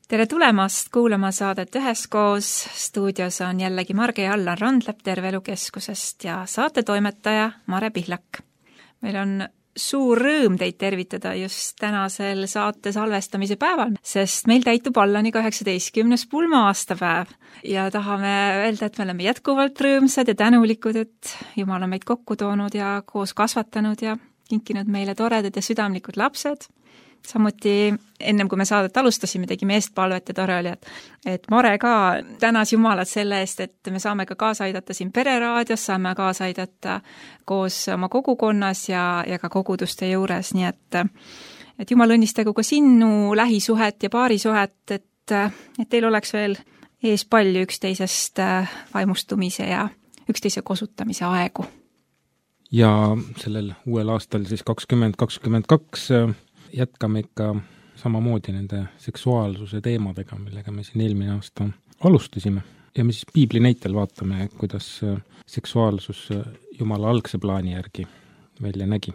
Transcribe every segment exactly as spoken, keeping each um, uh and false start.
Tere tulemast kuulama saadet Üheskoos. Stuudios on jällegi Marge ja Allan Randlep Terve Elu Keskusest ja saatetoimetaja Mare Pihlak. Meil on suur rõõm teid tervitada just tänasel saate salvestamise päeval, sest meil täitub Allaniga üheksateistkümnes pulma-aastapäev ja tahame öelda, et me oleme jätkuvalt rõõmsad ja tänulikud, et Jumal on meid kokku toonud ja koos kasvatanud ja kinkinud meile toredad ja südamlikud lapsed. Samuti ennem kui me saadet alustasime, tegime eestpalvet ja tore oli, et, et Mare ka tänas Jumalat selle eest, et me saame ka kaasa aidata siin pereraadios, saame kaasa aidata koos oma kogukonnas ja, ja ka koguduste juures, nii et, et Jumal õnnistagu ka sinu lähisuhet ja paarisuhet, et, et teil oleks veel ees palju üksteisest vaimustumise ja üksteise kosutamise aegu. Ja sellel uuel aastal siis kakskümmend kakskümmend kaks jätkame ikka samamoodi nende seksuaalsuse teemadega, millega me siin eelmine aasta alustasime. Ja me siis piibli näitel vaatame, kuidas seksuaalsus Jumala algse plaani järgi välja nägi.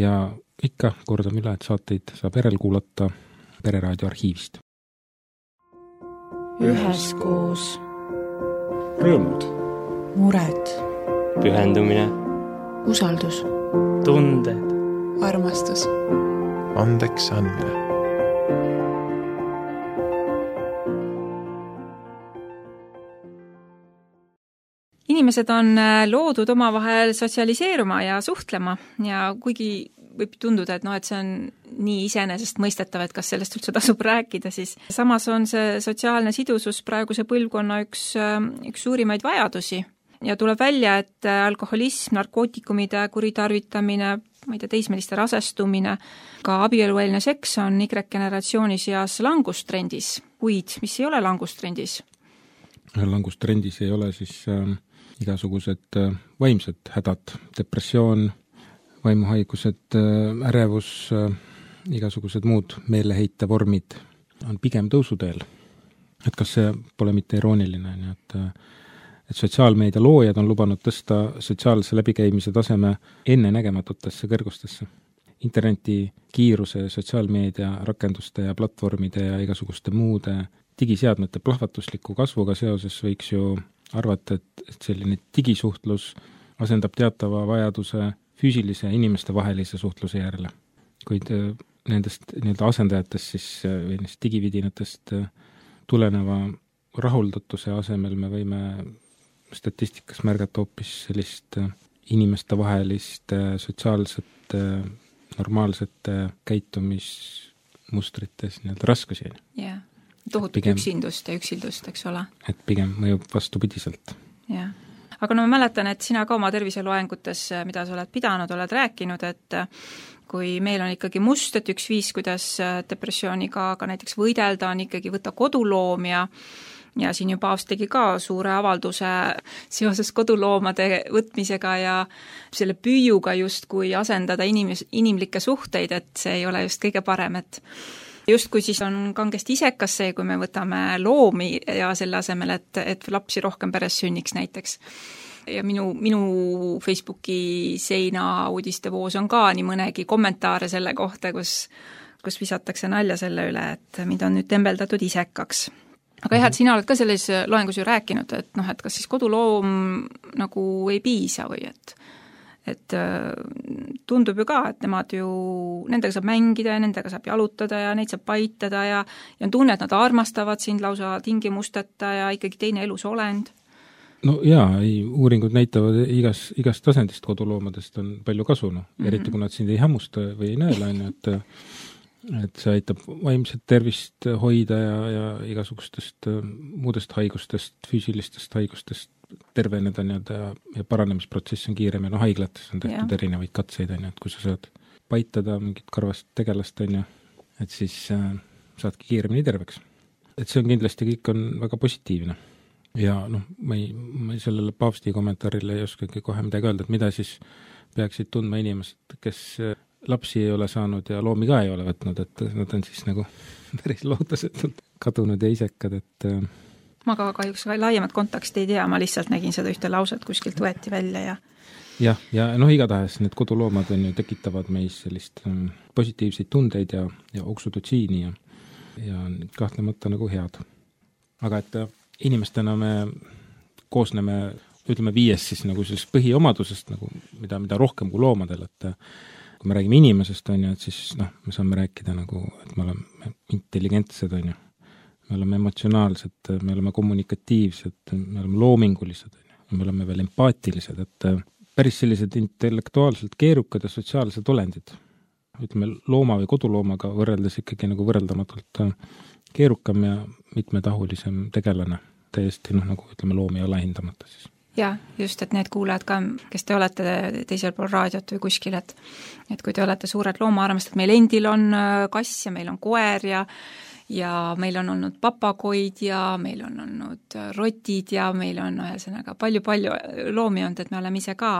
Ja ikka kordame üle, et saateid saab järel kuulata Pereraadio arhiivist. Üheskoos. Rõõmud. Mured. Pühendumine. Usaldus. Tunded. Armastus. Andeks andmine. Inimesed on loodud omavahel sotsialiseeruma ja suhtlema ja kuigi võib tunduda, et, no, et see on nii iseenesest mõistetav, et kas sellest üldse tasub rääkida, siis samas on see sotsiaalne sidusus praeguse põlvkonna üks, üks suurimaid vajadusi. Ja tuleb välja, et alkoholism, narkootikumide kuritarvitamine, ma ei tea, teismeliste rasestumine, ka abielueelne seks on Y-generatsioonis seas langustrendis, kuid mis ei ole langustrendis? Langustrendis ei ole siis äh, igasugused äh, vaimsed hädad, depressioon, vaimuhaigused, äh, ärevus, äh, igasugused muud meeleheite vormid on pigem tõusuteel. Et kas see pole mitte irooniline, nii et äh, et sotsiaalmeedia loojad on lubanud tõsta sotsiaalse läbikäimise taseme ennenägematutesse kõrgustesse. Interneti kiiruse, sotsiaalmeedia rakenduste ja platvormide ja igasuguste muude digiseadmete plahvatusliku kasvuga seoses võiks ju arvata, et, et selline digisuhtlus asendab teatava vajaduse füüsilise inimeste vahelise suhtluse järele. Kuid nendest nii-öelda asendajatest siis, või nendest digividinatest tuleneva rahuldatuse asemel me võime statistikas märgata hoopis sellist inimeste vahelist sotsiaalsete, normaalsete käitumismustrites nii-öelda raskusi. Jah, tohutut pigem, üksindust ja üksildust, eks ole. Et pigem mõjub vastupidiselt. Jah. Aga no ma mäletan, et sina ka oma terviseloengutes, mida sa oled pidanud, oled rääkinud, et kui meil on ikkagi must, et üks viis, kuidas depressiooniga ka näiteks võidelda, on ikkagi võtta koduloom ja Ja siin juba Paavst tegi ka suure avalduse seoses koduloomade võtmisega ja selle püüuga just kui asendada inimes, inimlikke suhteid, et see ei ole just kõige parem, et just kui siis on kangesti isekas see, kui me võtame loomi ja selle asemel, et, et lapsi rohkem peres sünniks näiteks. Ja minu, minu Facebooki seina uudistevoos on ka nii mõnegi kommentaare selle kohta, kus, kus visatakse nalja selle üle, et mind on nüüd tembeldatud isekaks. Aga jah, et sina oled ka selles loengus ju rääkinud, et noh, et kas siis koduloom nagu ei piisa või et, et tundub ju ka, et nemad ju, nendega saab mängida ja nendega saab jalutada ja neid saab paitada ja, ja on tunne, et nad armastavad sind lausa tingimusteta ja ikkagi teine elus olend. No jaa, ei, uuringud näitavad igas, igast tasandist koduloomadest on palju kasu, no. Mm-hmm. Eriti kui nad sind ei hammusta või ei näela, et et see aitab vaimset tervist hoida ja, ja igasugustest muudest haigustest, füüsilistest haigustest terveneda nii-öelda ja, ja paranemisprotsess on kiirem ja no haiglates on tehtud ja. Erinevaid katseid, on ju, et kui sa saad paitada mingit karvast tegelast, on ju, et siis äh, saadki kiiremini terveks. Et see on kindlasti kõik on väga positiivne. Ja noh, ma ei, ma ei sellele Paavsti kommentaarile ei oskagi kohe midagi öelda, et mida siis peaksid tundma inimesed, kes lapsi ei ole saanud ja loomi ka ei ole võtnud, et nad on siis nagu päris lootusetult kadunud ja isekad, et ma ka kahjuks laiemat kontakti ei tea, ma lihtsalt nägin seda ühte lauset, kuskilt võeti välja ja jah, ja noh, igatahes need koduloomad on ju tekitavad meis sellist positiivseid tundeid ja, ja oksudotsiini ja ja on kahtlemata nagu head. Aga et inimestena me koosneme, ütleme viies siis nagu sellest põhiomadusest, nagu mida, mida rohkem kui loomadel, et kui me räägime inimesest, on ju, et siis noh, me saame rääkida nagu, et me oleme intelligentsed, on ju. Me oleme emotsionaalsed, me oleme kommunikatiivsed, me oleme loomingulised, me oleme veel empaatilised, et päris sellised intellektuaalselt keerukad ja sotsiaalsed olendid. Ütleme, looma või koduloomaga võrreldes ikkagi nagu võrreldamatult keerukam ja mitmetahulisem tegelane. Täiesti noh, nagu ütleme, loomi alahindamata siis. Ja, just, et need kuulajad ka, kes te olete teisel pool raadiot või kuskil, et, et kui te olete suured loomaarmastajad, meil endil on kass ja meil on koer ja ja meil on olnud papagoid ja meil on olnud rotid ja meil on ühesõnaga palju-palju loomi olnud, et me oleme ise ka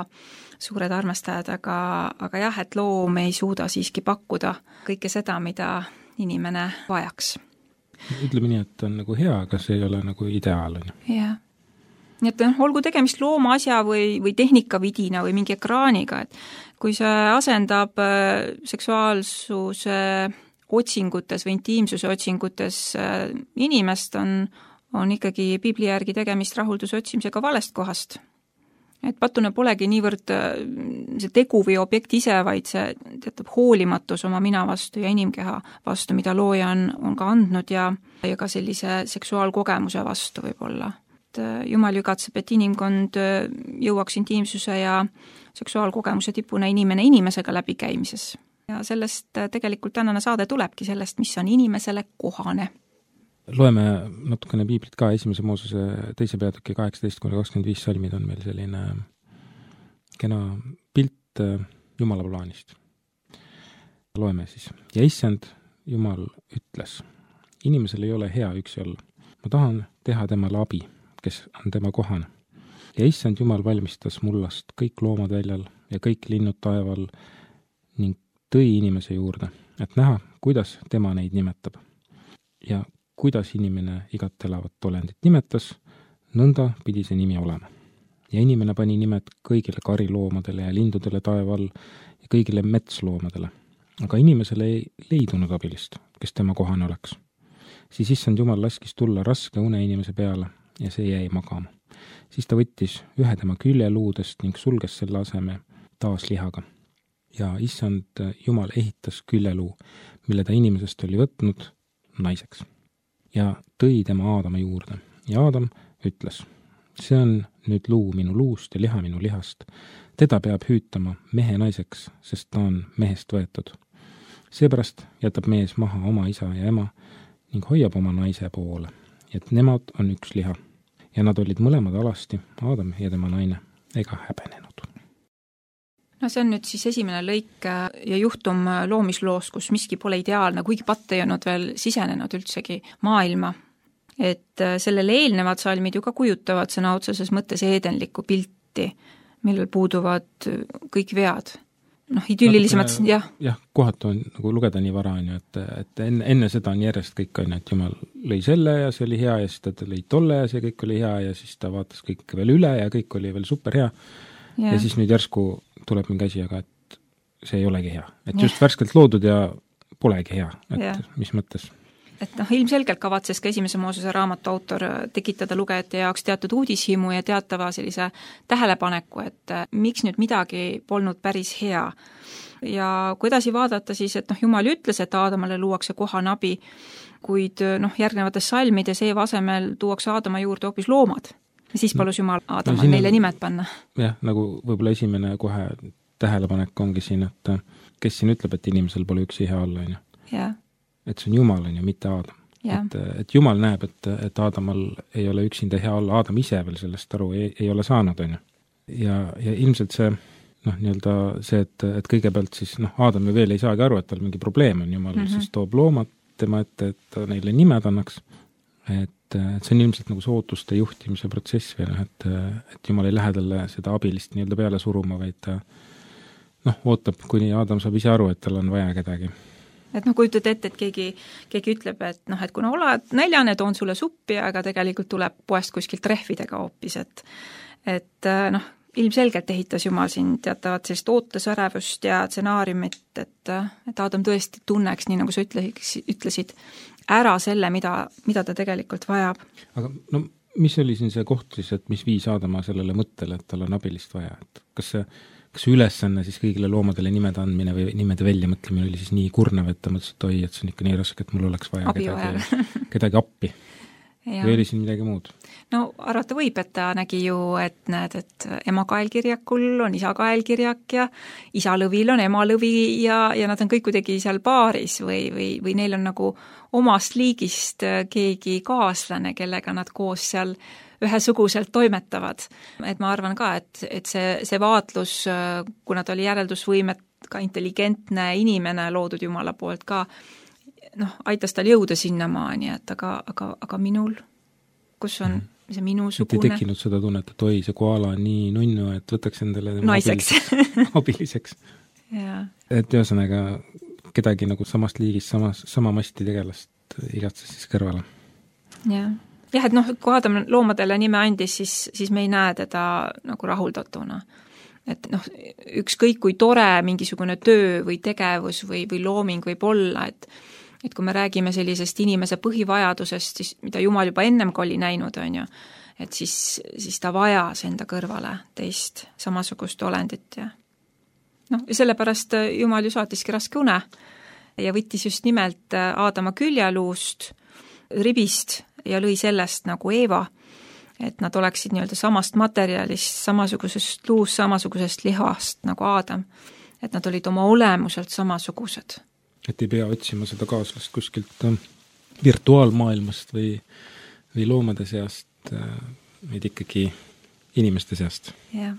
suured armastajad, aga, aga jah, et loom ei suuda siiski pakkuda kõike seda, mida inimene vajaks. Ütleme nii, et on nagu hea, aga see ei ole nagu ideaal. Jah. Nii et olgu tegemist looma asja või, või tehnikavidina või mingi ekraaniga, et kui see asendab seksuaalsuse otsingutes või intiimsuse otsingutes inimest, on, on ikkagi piibli järgi tegemist rahulduse otsimisega valest kohast. Et patune polegi niivõrd see tegu või objekt ise, vaid see teatab hoolimatus oma mina vastu ja inimkeha vastu, mida looja on, on ka andnud ja, ja ka sellise seksuaalkogemuse vastu võib-olla. Et Jumal jugatseb, et inimkond jõuaks intiimsuse ja seksuaalkogemuse tipuna inimene inimesega läbikäimises. Ja sellest tegelikult tänane saade tulebki sellest, mis on inimesele kohane. Loeme natukene piiblit ka, esimese Moosese teise peatüki kaheksateist kuni kakskümmend viis salmid on meil selline kena pilt Jumala plaanist. Loeme siis. Ja issand Jumal ütles, inimesel ei ole hea üksi olla. Ma tahan teha temale abi, kes on tema kohane. Ja issand Jumal valmistas mullast kõik loomad väljal ja kõik linnud taeval ning tõi inimese juurde, et näha, kuidas tema neid nimetab. Ja kuidas inimene igat elavat olendit nimetas, nõnda pidi see nimi olema. Ja inimene pani nimed kõigile kariloomadele ja lindudele taeval ja kõigile metsloomadele. Aga inimesele ei leidunud abilist, kes tema kohane oleks. Siis issand Jumal laskis tulla raske une inimese peale ja see jäi magama. Siis ta võttis ühe tema küljeluudest ning sulges selle aseme taas lihaga. Ja issand Jumal ehitas küljeluu, mille ta inimesest oli võtnud naiseks. Ja tõi tema Aadama juurde. Ja Aadam ütles, see on nüüd luu minu luust ja liha minu lihast. Teda peab hüütama mehe naiseks, sest ta on mehest võetud. Seepärast jätab mees maha oma isa ja ema ning hoiab oma naise poole. Et nemad on üks liha. Ja nad olid mõlemad alasti, Aadam ja tema naine, ega häbenenud. No see on nüüd siis esimene lõik ja juhtum loomisloos, kus miski pole ideaalne, kuigi patt ei olnud veel sisenenud üldsegi maailma. Et sellele eelnevad salmid ju ka kujutavad sõna otseses mõttes eedenlikku pilti, millel puuduvad kõik vead. Noh, idüllilisemad, jah. Jah, kohatu on nagu lugeda nii vara, on ju, et, et enne, enne seda on järjest kõik, on ju, et Jumal lõi selle ja see oli hea ja siis ta lõi tolle ja see kõik oli hea ja siis ta vaatas kõik veel üle ja kõik oli veel super hea. Ja, ja siis nüüd järsku tuleb mingi asi, aga et see ei olegi hea. Et ja. Just värskelt loodud ja polegi hea. Et ja. Mis mõttes? Et noh, ilmselgelt kavatses ka esimese Moosese raamatu autor tekitada lugejate jaoks teatud uudishimu ja teatava sellise tähelepaneku, et miks nüüd midagi polnud päris hea. Ja kui edasi vaadata siis, et noh, Jumal ütles, et Aadamale luuakse kohane abi, kuid noh, järgnevates salmides Eeva asemel tuuakse Aadama juurde hoopis loomad. Ja siis palus Jumal Aadamal no, neile nimed panna. Jah, nagu võib-olla esimene kohe tähelepanek ongi siin, et kes siin ütleb, et inimesel pole üksi hea olla, on ju. Yeah. Et see on Jumal, on ju, mitte Aadam. Yeah. Et, et Jumal näeb, et, et Aadamal ei ole üksinda hea olla, Aadam ise veel sellest aru ei, ei ole saanud, on ju. Ja, ja ilmselt see, noh, nii-öelda see, et, et kõigepealt siis, noh, Aadam ju veel ei saagi aru, et tal mingi probleem on, Jumal mm-hmm. siis toob loomad tema ette, et ta neile nimed annaks. Et, et see on ilmselt nagu see ootuste juhtimise protsess veel, et, et Jumal ei lähe talle seda abilist nii-öelda peale suruma, vaid ta noh, ootab, kuni Aadam saab ise aru, et tal on vaja kedagi. Et noh, kujutad ette, et keegi, keegi ütleb, et noh, et kuna oled näljane, toon sulle suppi, aga tegelikult tuleb poest kuskilt rehvidega hoopis, et, et noh, ilmselgelt ehitas Jumal siin teatavat sellist ootesärevust ja stsenaariumit, et, et Aadam tõesti tunneks, nii nagu sa ütlesid, ära selle, mida, mida ta tegelikult vajab. aga no mis oli siin see koht siis, et mis viis Aadama sellele mõttele, et tal on abilist vaja, et kas see, kas see ülesanne siis kõigile loomadele nimede andmine või nimede väljamõtlemine oli siis nii kurnav, et ta mõtles, et oi, et see on ikka nii raske, et mul oleks vaja Abi kedagi, kedagi appi. Ja. Või oli siin midagi muud? No arvata võib, et ta nägi ju, et näed, et ema kaelkirjakul on isa kaelkirjak ja isa lõvil on ema lõvi ja, ja nad on kõik kuidagi seal paaris või, või, või neil on nagu omast liigist keegi kaaslane, kellega nad koos seal ühesuguselt toimetavad. Et ma arvan ka, et, et see, see vaatlus, kuna ta oli järeldusvõimet, ka intelligentne inimene loodud Jumala poolt ka, noh, aitas tal jõuda sinnamaani, et aga, aga, aga minul, kus on see minusugune. Et ei tekkinud seda tunnet, et oi, see koala on nii nunnu, et võtaks endale naiseks abiliseks. abiliseks. Ja. Et ühesõnaga kedagi nagu samast liigist, samas, sama masti tegelast igatses siis kõrvale. jah, jah, et noh, kui Aadam loomadele nime andis, siis, siis me ei näe teda nagu rahuldatuna. Et noh, ükskõik kui tore mingisugune töö või tegevus või, või looming võib olla, et et kui me räägime sellisest inimese põhivajadusest, siis mida Jumal juba ennem ka oli näinud, on ju, et siis, siis ta vajas enda kõrvale teist samasugust olendit ja noh, ja sellepärast Jumal ju saatiski raske une ja võttis just nimelt Aadama küljeluust, ribist ja lõi sellest nagu Eeva, et nad oleksid nii-öelda samast materjalist, samasugusest luust, samasugusest lihast nagu Aadam, et nad olid oma olemuselt samasugused. Et ei pea otsima seda kaaslast kuskilt virtuaalmaailmast või, või loomade seast, vaid ikkagi inimeste seast. Jah.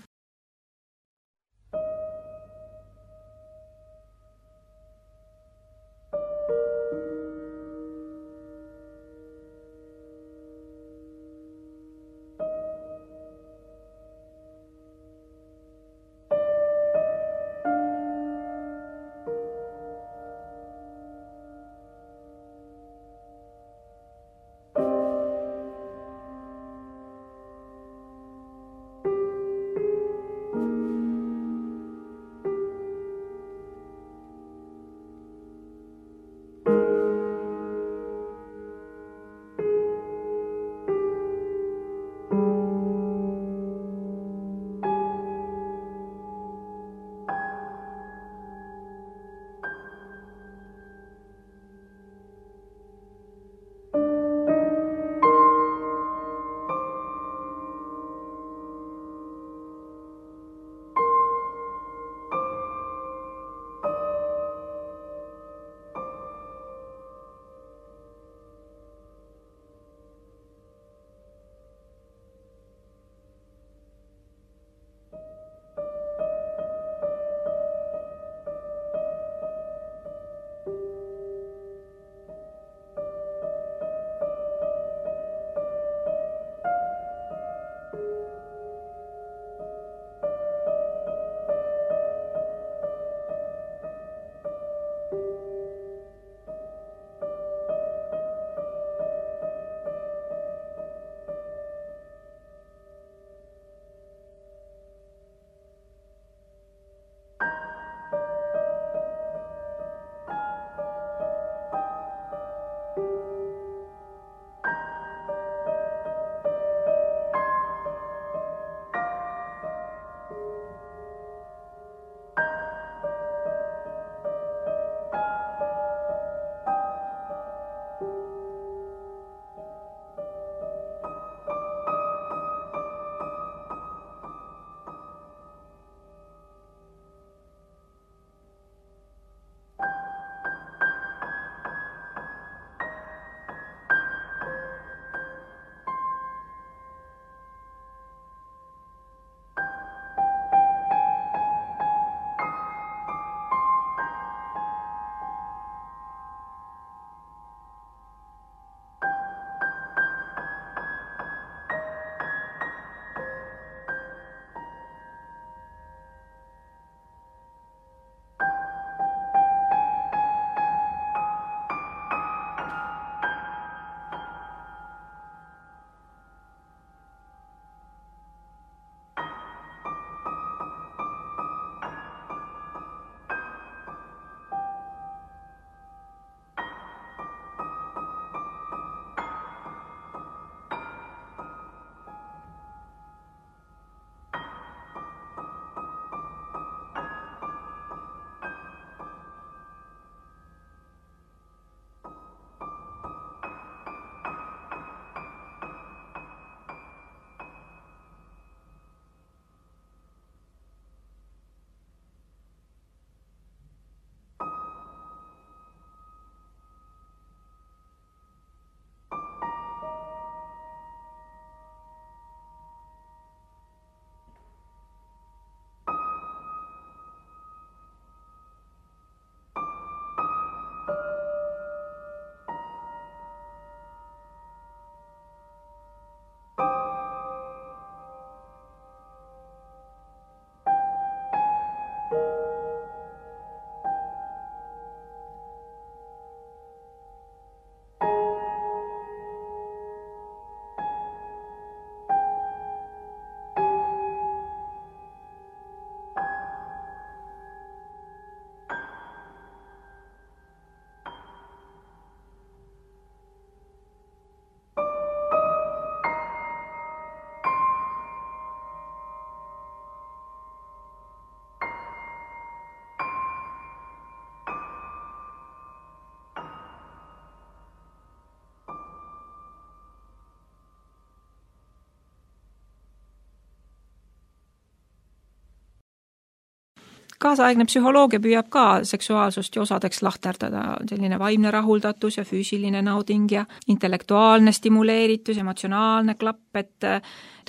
kaasaegne psühholoogia püüab ka seksuaalsust ju osadeks lahterdada, selline vaimne rahuldatus ja füüsiline nauding ja intellektuaalne stimuleeritus, emotsionaalne klapp, et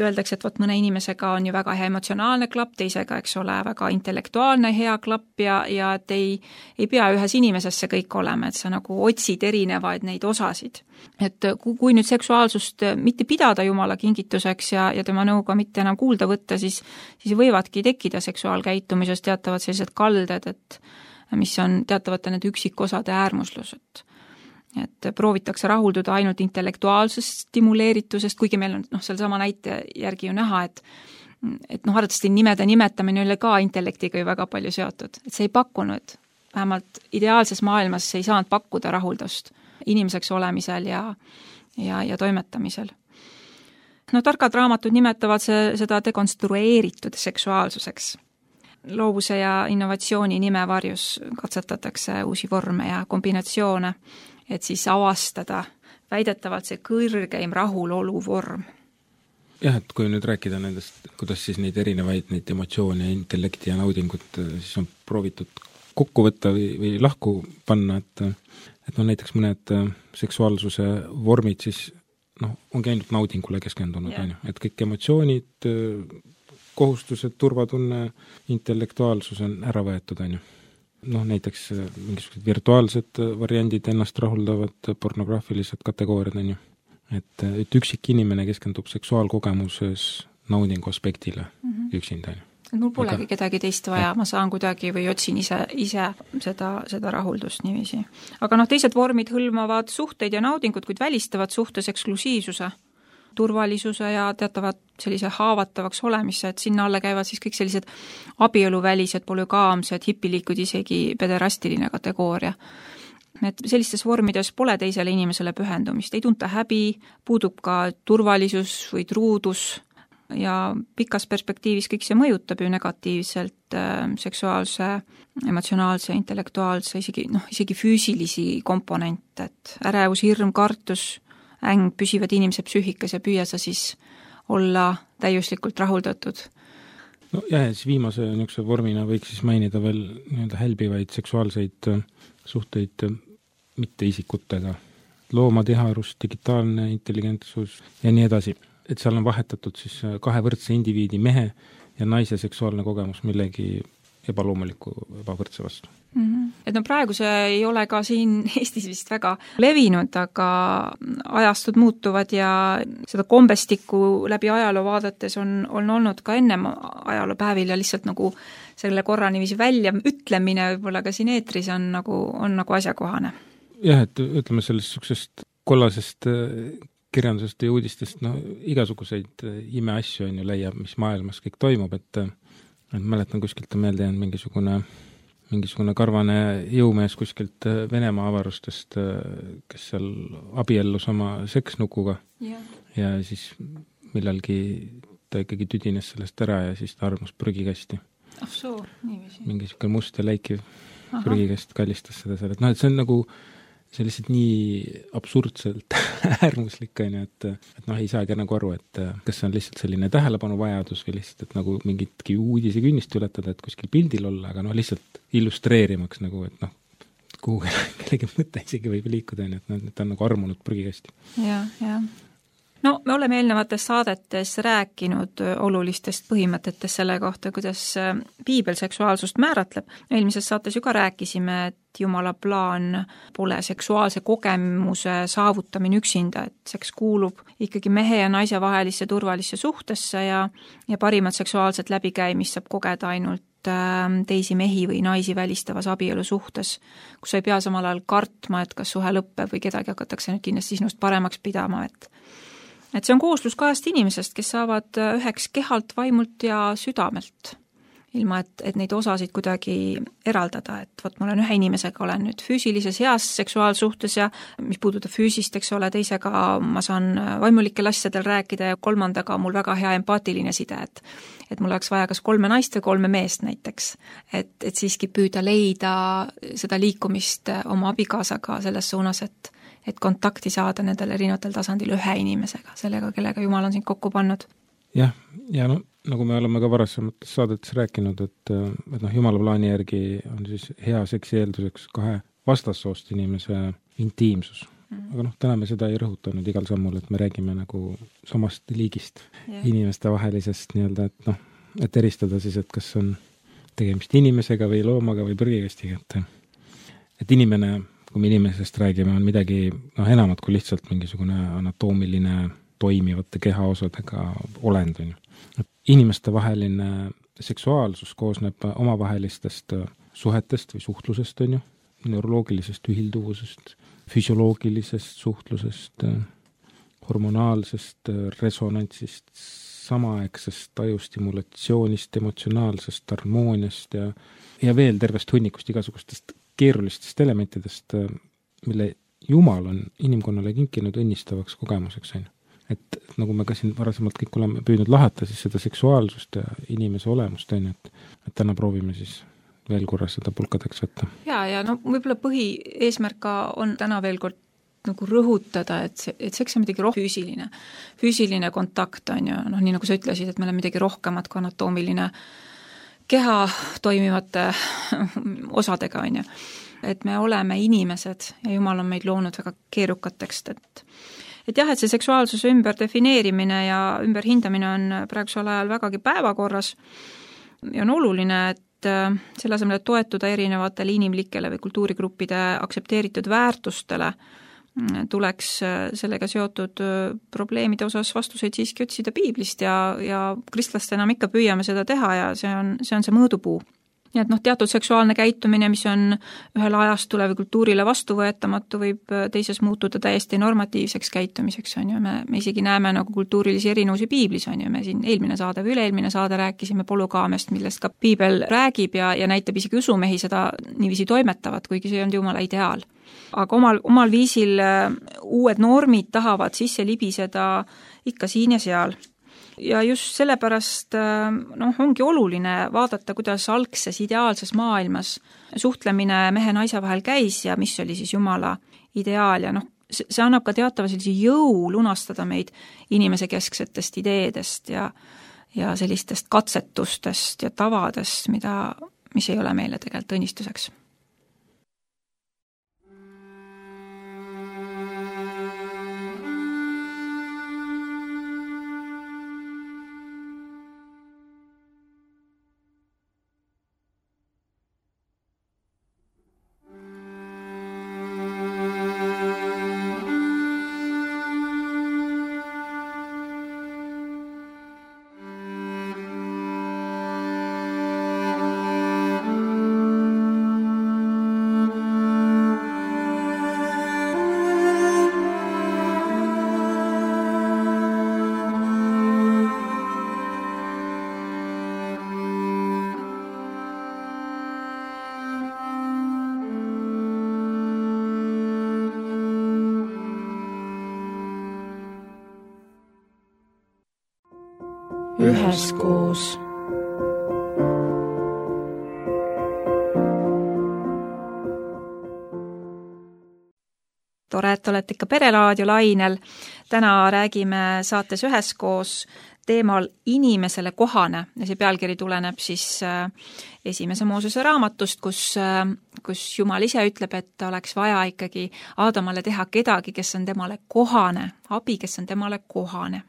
öeldakse, et võt mõne inimesega on ju väga hea emotsionaalne klapp, teisega, eks ole, väga intellektuaalne hea klapp ja, ja et ei, ei pea ühes inimeses see kõik olema, et sa nagu otsid erinevaid neid osasid. Et kui nüüd seksuaalsust mitte pidada Jumala kingituseks ja, ja tema nõuga mitte enam kuulda võtta, siis, siis võivadki tekkida seksuaalkäitumises teatavad sellised kalded, et mis on teatavate need üksikosade äärmuslused. Et proovitakse rahulduda ainult intellektuaalsest stimuleeritusest, kuigi meil on noh, seal sama näite järgi ju näha, et et noh, arvatavasti nimede nimetamine oli ka intellektiga ju väga palju seotud. Et see ei pakkunud, vähemalt ideaalses maailmas see ei saanud pakkuda rahuldust inimeseks olemisel ja, ja, ja toimetamisel. No targad raamatud nimetavad see, seda dekonstrueeritud seksuaalsuseks. Loovuse ja innovatsiooni nimevarjus katsetatakse uusi vorme ja kombinatsioone, et siis avastada väidetavalt see kõrgeim rahulolu vorm. Jah, et kui nüüd rääkida nendest, kuidas siis neid erinevaid neid emotsioone, intellekti ja naudingut siis on proovitud kokku võtta või, või lahku panna, et et no näiteks mõned seksuaalsuse vormid siis noh, ongi ainult naudingule keskendunud, yeah. Et kõik emotsioonid, kohustused, turvatunne, intellektuaalsus on ära võetud, on ju. Noh, näiteks mingisugused virtuaalsed variandid ennast rahuldavad, pornograafilised kategooriad, on ju. Et, et üksik inimene keskendub seksuaalkogemuses naudingu aspektile mm-hmm. üksinda, on ju. Mul polegi Aga... kedagi teist vaja, ma saan kuidagi või otsin ise, ise seda, seda rahuldust niiviisi. Aga noh, teised vormid hõlmavad suhteid ja naudingut, kuid välistavad suhtes eksklusiivsuse, turvalisuse ja teatavad sellise haavatavaks olemisse, et sinna alle käivad siis kõik sellised abieluvälised, polügaamsed, hipilikud, isegi pederastiline kategooria. Et sellistes vormides pole teisele inimesele pühendumist, ei tunta häbi, puudub ka turvalisus või truudus ja pikas perspektiivis kõik see mõjutab ju negatiivselt äh, seksuaalse, emotsionaalse, intellektuaalse, isegi, noh, isegi füüsilisi komponente, et ärevus, hirm, kartus, äng püsivad inimese psüühikas ja püüa sa siis olla täiuslikult rahuldatud. No ja, siis viimase niisuguse vormina võiks siis mainida veel nii-öelda hälbivaid seksuaalseid suhteid mitte isikutega. Loomatiharus, digitaalne intelligentsus ja nii edasi. Et seal on vahetatud siis kahe võrdse indiviidi mehe ja naise seksuaalne kogemus millegi ebaloomuliku ebavõrdse vastu. Mm-hmm. Et no praegu see ei ole ka siin Eestis vist väga levinud, aga ajastud muutuvad ja seda kombestikku läbi ajaloo vaadates on, on olnud ka ennem ajaloopäevil ja lihtsalt nagu selle korra niiviisi välja ütlemine võib-olla ka siin eetris on nagu, on nagu asjakohane. Jah, et ütleme sellest suksest kollasest kirjandusest ja uudistest, no igasuguseid imeasju on ju leiab, mis maailmas kõik toimub, et, et mäletan kuskilt on meelde jäänud mingisugune mingisugune karvane jõumees kuskilt Venemaa avarustest, kes seal abiellus oma seksnukuga yeah. Ja siis millalgi ta ikkagi tüdines sellest ära ja siis ta armus prügikasti. Ah soo, niiviisi. Mingisugune must ja läikiv Aha. prügikast kallistas seda seal, et noh, et see on nagu see lihtsalt nii absurdselt äärmuslik, on ju, et, et noh, ei saagi nagu aru, et kas see on lihtsalt selline tähelepanu vajadus või lihtsalt, et nagu mingitki uudise künnist ületada, et kuskil pildil olla, aga noh, lihtsalt illustreerimaks nagu, et noh, kuhu kellegi mõte isegi võib liikuda, on ju, et noh, ta on nagu armunud prügikasti. Jah, jah. No me oleme eelnevates saadetes rääkinud olulistest põhimõtetest selle kohta, kuidas piibel seksuaalsust määratleb. Eelmises saates ju ka rääkisime, et Jumala plaan pole seksuaalse kogemuse saavutamine üksinda, et seks kuulub ikkagi mehe ja naise vahelisse turvalisse suhtesse ja, ja parimat seksuaalset läbikäimist saab kogeda ainult teisi mehi või naisi välistavas abielu suhtes, kus ei pea samal ajal kartma, et kas suhe lõppeb või kedagi hakatakse nüüd kindlasti sinust paremaks pidama, et et see on kooslus kahest inimesest, kes saavad üheks kehalt, vaimult ja südamelt, ilma et, et neid osasid kuidagi eraldada, et vot ma olen ühe inimesega, olen nüüd füüsilises heas seksuaalsuhtes ja mis puudutab füüsist, eks ole, teisega ma saan vaimulikel asjadel rääkida ja kolmandaga mul väga hea empaatiline side, et et mul oleks vaja kas kolme naist või kolme meest näiteks, et, et siiski püüda leida seda liikumist oma abikaasaga selles suunas, et et kontakti saada nendel erinevatel tasandil ühe inimesega, sellega, kellega Jumal on sind kokku pannud. Jah, ja no nagu me oleme ka varasemates saadetes rääkinud, et, et noh, Jumala plaani järgi on siis hea seksi eelduseks kahe vastassoost inimese intiimsus. Mm. Aga noh, täna me seda ei rõhutanud igal sammul, et me räägime nagu samast liigist yeah. inimeste vahelisest nii-öelda, et noh, et eristada siis, et kas on tegemist inimesega või loomaga või prügikastiga, et, et inimene, kui me inimesest räägime, on midagi noh, enamat kui lihtsalt mingisugune anatoomiline toimivate kehaosadega olend. On. Inimeste vaheline seksuaalsus koosneb omavahelistest suhetest või suhtlusest, on ju, neuroloogilisest ühilduvusest, füsioloogilisest suhtlusest, hormonaalsest resonantsist, samaaegsest tajustimulatsioonist, emotsionaalsest harmooniast ja, ja veel tervest hunnikust igasugustest keerulistest elementidest, mille Jumal on inimkonnale kinkinud õnnistavaks kogemuseks. On. Et nagu me ka siin varasemalt kõik oleme püüdnud lahata, siis seda seksuaalsust ja inimese olemust, on, et, et täna proovime siis veel korra seda pulkadeks võtta. Ja, ja no võib-olla põhieesmärk on täna veel kord nagu rõhutada, et, see, et seks on midagi roh- füüsiline. Füüsiline kontakt on ju, noh, nii nagu sa ütlesid, et meil on midagi rohkemat kui anatoomiline keha toimivate osadega on ju. Et me oleme inimesed ja Jumal on meid loonud väga keerukateks, et et jah, et see seksuaalsuse ümber defineerimine ja ümber hindamine on praegusel ajal vägagi päevakorras ja on oluline, et selle asemel, et toetuda erinevatele inimlikele või kultuurigruppide aktsepteeritud väärtustele, tuleks sellega seotud probleemide osas vastuseid siiski otsida piiblist ja, ja kristlastena me ikka püüame seda teha ja see on see, on see mõõdupuu. Nii et noh, teatud seksuaalne käitumine, mis on ühel ajastule või kultuurile vastuvõetamatu, võib teises muutuda täiesti normatiivseks käitumiseks, on ju. Me, me isegi näeme nagu kultuurilisi erinevusi piiblis, on ju. Me siin eelmine saade või üle-eelmine saade rääkisime polügaamiast, millest ka piibel räägib ja, ja näitab isegi usumehi seda niiviisi toimetavat, kuigi see on Jumala ideaal. Aga omal, omal viisil uued normid tahavad sisse libiseda ikka siin ja seal. Ja just sellepärast noh, ongi oluline vaadata, kuidas algses ideaalses maailmas suhtlemine mehe-naise vahel käis ja mis oli siis Jumala ideaal ja noh, see annab ka teatava sellise jõu lunastada meid inimese kesksetest ideedest ja, ja sellistest katsetustest ja tavadest, mida, mis ei ole meile tegelikult õnnistuseks. Üheskoos. Tore, et olete ikka Pereraadio lainel. Täna räägime saates Üheskoos teemal inimesele kohane ja see pealkiri tuleneb siis esimese Moosese raamatust, kus, kus Jumal ise ütleb, et oleks vaja ikkagi Aadamale teha kedagi, kes on temale kohane, abi, kes on temale kohane.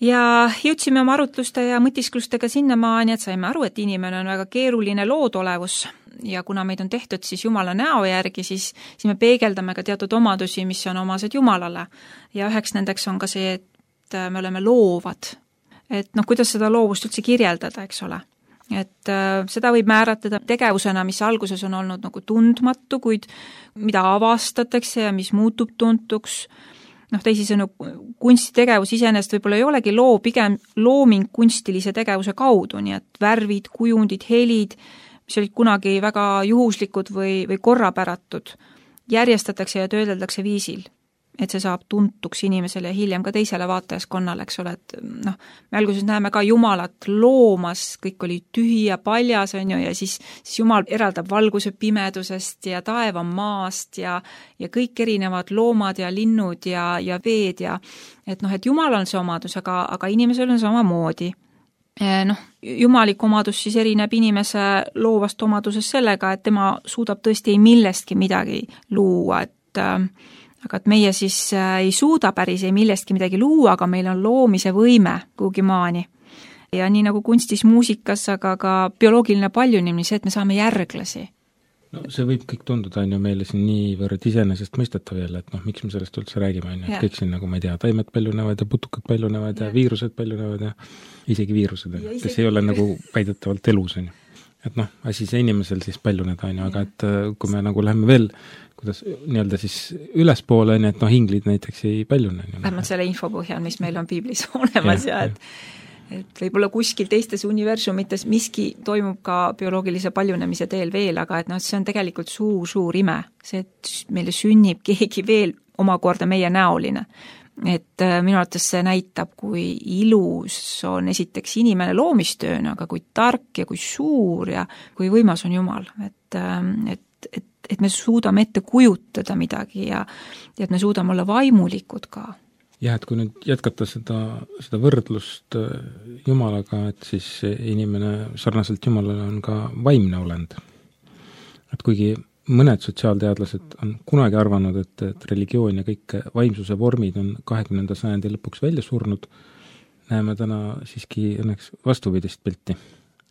Ja jõudsime oma arutluste ja mõtisklustega sinnamaani, et saime aru, et inimene on väga keeruline loodolevus ja kuna meid on tehtud siis Jumala näo järgi, siis, siis me peegeldame ka teatud omadusi, mis on omased Jumalale. Ja üheks nendeks on ka see, et me oleme loovad. Et noh, kuidas seda loovust üldse kirjeldada, eks ole. Et äh, seda võib määratleda tegevusena, mis alguses on olnud nagu tundmatu, kuid mida avastatakse ja mis muutub tuntuks. Noh, teisisõnu, kunstitegevus iseenesest võib-olla ei olegi loo, pigem looming kunstilise tegevuse kaudu, nii et värvid, kujundid, helid, mis olid kunagi väga juhuslikud või, või korrapäratud, järjestatakse ja töödeldakse viisil, et see saab tuntuks inimesele ja hiljem ka teisele vaatajaskonnale, eks ole, et noh, me alguses näeme ka Jumalat loomas, kõik oli tühi ja paljas, on ju, ja siis, siis Jumal eraldab valguse pimedusest ja taeva maast ja, ja kõik erinevad loomad ja linnud ja, ja veed ja et noh, et Jumal on see omadus, aga, aga inimesel on samamoodi. noh, jumalik omadus siis erineb inimese loovast omadusest sellega, et tema suudab tõesti millestki midagi luua, et aga et meie siis ei suuda päris ei millestki midagi luua, aga meil on loomise võime kuhugi maani. Ja nii nagu kunstis, muusikas, aga ka bioloogiline paljunemine, see, et me saame järglasi. No see võib kõik tunduda, on ju meile siin niivõrd iseenesest mõistetav jälle, et noh, miks me sellest üldse räägime, on ju, et kõik siin nagu, ma ei tea, taimed paljunevad ja putukad paljunevad ja, ja viirused paljunevad ja isegi viirused, ja kes isegi... ei ole nagu väidetavalt elus, on ju. Et noh, asi see inimesel siis paljuneda, on ju, aga et kui me nagu läheme veel, kuidas nii-öelda siis ülespoole, on ju, et noh, inglid näiteks ei paljune. Vähemalt selle info põhjal, mis meil on piiblis olemas ja, ja et et võib-olla kuskil teistes universumites miski toimub ka bioloogilise paljunemise teel veel, aga et noh, see on tegelikult suur, suur ime. See, et meile sünnib keegi veel omakorda meie näoline. Et minu arvates see näitab, kui ilus on esiteks inimene loomistööna, aga kui tark ja kui suur ja kui võimas on Jumal. Et, et, et, et me suudame ette kujutada midagi ja, ja et me suudame olla vaimulikud ka. Jah, et kui nüüd jätkata seda, seda võrdlust Jumalaga, et siis inimene sarnaselt Jumalale on ka vaimne olend. Et kuigi mõned sotsiaalteadlased on kunagi arvanud, et, et religioon ja kõik vaimsuse vormid on kahekümnenda sajandi lõpuks välja surnud, näeme täna siiski õnneks vastupidist pilti.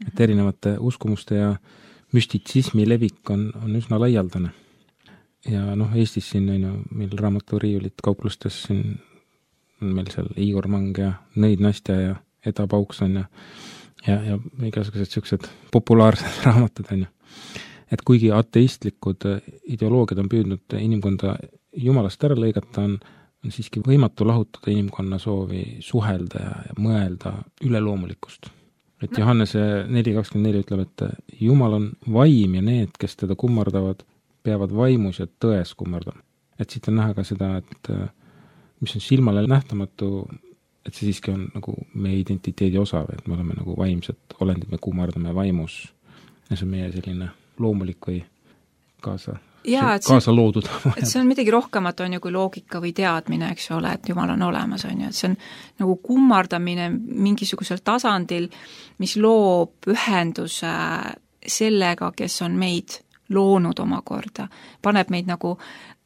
Et erinevate uskumuste ja müstitsismi levik on, on üsna laialdane. Ja noh, Eestis siin on ju meil raamaturiiulit kauplustes siin on meil seal Igor Mang ja Nõid Nastja ja Eda Paukson ja, ja, ja igasugused sellised populaarsed raamatud on ju. Et kuigi ateistlikud ideoloogiad on püüdnud inimkonda Jumalast ära lõigata, on, on siiski võimatu lahutada inimkonna soovi suhelda ja, ja mõelda üleloomulikust. Et Johannese neli kakskümmend neli ütleb, et Jumal on vaim ja need, kes teda kummardavad, peavad vaimus ja tões kummardama. Et siit on näha ka seda, et mis on silmale nähtamatu, et see siiski on nagu meie identiteedi osa, et me oleme nagu vaimsed olendid, me kummardame vaimus ja see on meie selline loomulik või kaasa, ja, kaasa loodud. Et see on midagi rohkemat on ju kui loogika või teadmine, eks ole, et Jumal on olemas, on ju, et see on nagu kummardamine mingisugusel tasandil, mis loob ühenduse sellega, kes on meid loonud omakorda, paneb meid nagu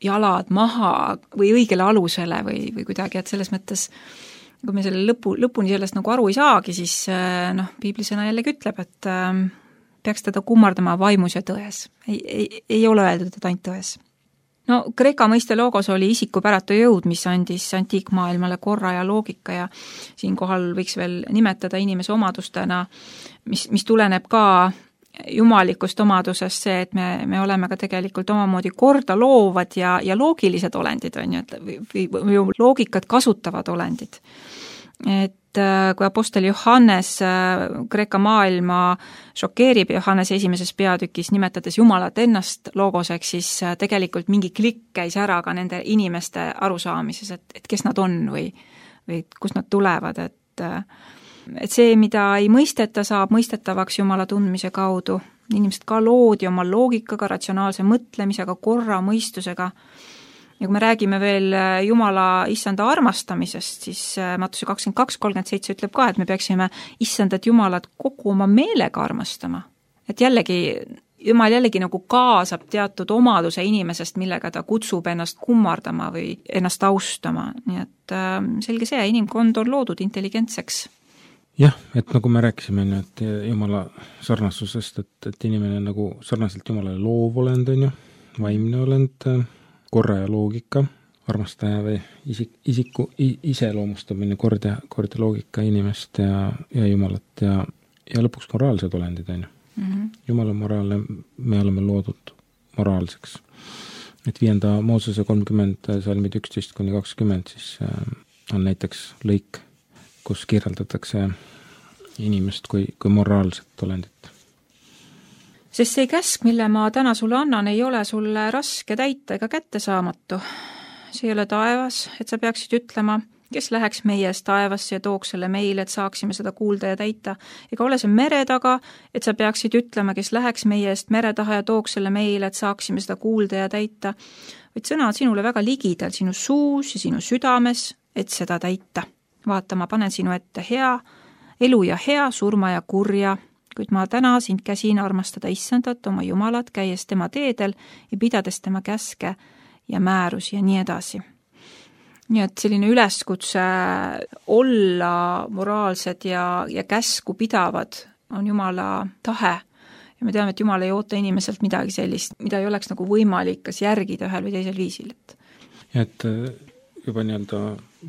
jalad maha või õigele alusele või, või kuidagi, et selles mõttes, kui me selle lõpu, lõpuni sellest nagu aru ei saagi, siis noh, piiblisõna jällegi ütleb, et äh, peaks teda kummardama vaimus ja tões. Ei, ei, ei ole öeldud, et ainult tões. No Kreeka mõiste loogos oli isikupäratu jõud, mis andis antiikmaailmale korra ja loogika ja siinkohal võiks veel nimetada inimese omadustena, mis, mis tuleneb ka jumalikust omadusest see, et me, me oleme ka tegelikult omamoodi korda loovad ja, ja loogilised olendid, on ju, et või, või loogikat kasutavad olendid. Et kui apostel Johannes Kreeka maailma šokeerib Johannes esimeses peatükis, nimetades Jumalat ennast loogoseks, siis tegelikult mingi klikk käis ära ka nende inimeste arusaamises, et, et kes nad on või, või kust nad tulevad, et et see, mida ei mõisteta, saab mõistetavaks Jumala tundmise kaudu. Inimesed ka loodi oma loogikaga, ratsionaalse mõtlemisega, korra, mõistusega. Ja kui me räägime veel Jumala issanda armastamisest, siis Mattuse kakskümmend kaks kolmkümmend seitse ütleb ka, et me peaksime issandat Jumalat kogu oma meelega armastama. Et jällegi, Jumal jällegi nagu kaasab teatud omaduse inimesest, millega ta kutsub ennast kummardama või ennast austama. Nii et selge see, inimkond on loodud intelligentseks. Jah, et nagu me rääkisime, et Jumala sarnasusest, et, et inimene nagu sarnaselt Jumalale loov olend on ju, vaimne olend, korra ja loogika, armastaja või isik, isiku iseloomustamine, kord ja, kord ja loogika inimest ja, ja Jumalat ja, ja lõpuks moraalsed olendid on ju. Mm-hmm. Jumal on moraalne, me oleme loodud moraalseks. Et viienda Moosese kolmkümmend salmid üksteist kuni kakskümmend siis on näiteks lõik, kus kirjeldatakse inimest kui, kui moraalset olendit. Sest see käsk, mille ma täna sulle annan, ei ole sulle raske täita ega kättesaamatu. See ei ole taevas, et sa peaksid ütlema, kes läheks meie eest taevasse ja tooks selle meile, et saaksime seda kuulda ja täita. Ega ole see mere taga, et sa peaksid ütlema, kes läheks meie eest mere taha ja tooks selle meile, et saaksime seda kuulda ja täita. Vaid sõna on sinule väga ligidal, sinu suus ja sinu südames, et seda täita. Vaata, ma panen sinu ette hea elu ja hea, surma ja kurja, kuid ma täna sind käsin armastada issandat, oma jumalat, käies tema teedel ja pidades tema käske ja määrusi ja nii edasi. Nii et selline üleskutse olla moraalsed ja, ja käsku pidavad on Jumala tahe. Ja me teame, et Jumal ei oota inimeselt midagi sellist, mida ei oleks nagu võimalik kas järgida ühel või teisel viisil. Et... ja et juba nii-öelda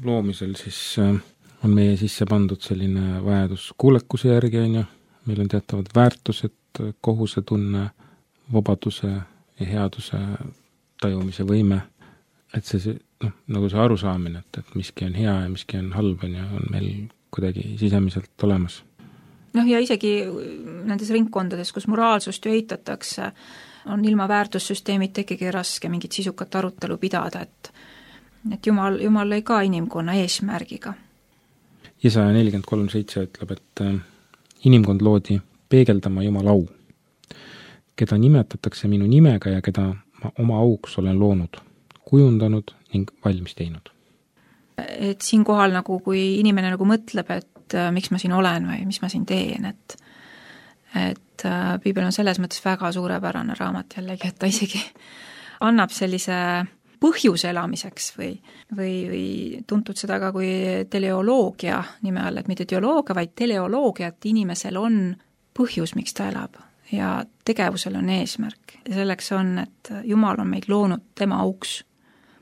loomisel siis on meie sisse pandud selline vajadus kuulekuse järgi, on ju, meil on teatavad väärtused, kohusetunne, vabaduse ja headuse tajumise võime, et see, noh, nagu see arusaamine, et, et miski on hea ja miski on halb, on, ju, on meil kuidagi sisemiselt olemas. Noh, ja isegi nendes ringkondades, kus moraalsust ju eitatakse, on ilma väärtussüsteemid ikkagi raske mingit sisukat arutelu pidada, et, et Jumal, Jumal lõi ka inimkonna eesmärgiga. Jesaja nelikümmend kolm seitse ütleb, et inimkond loodi peegeldama Jumala au, keda nimetatakse minu nimega ja keda ma oma auks olen loonud, kujundanud ning valmis teinud. Et siin kohal nagu, kui inimene nagu mõtleb, et miks ma siin olen või mis ma siin teen, et, et Piibel on selles mõttes väga suurepärane raamat jällegi, et ta isegi annab sellise põhjuse elamiseks või, või, või tuntud seda ka kui teleoloogia nime all, et mitte teoloogia, vaid teleoloogia, et inimesel on põhjus, miks ta elab ja tegevusel on eesmärk ja selleks on, et Jumal on meid loonud tema auks.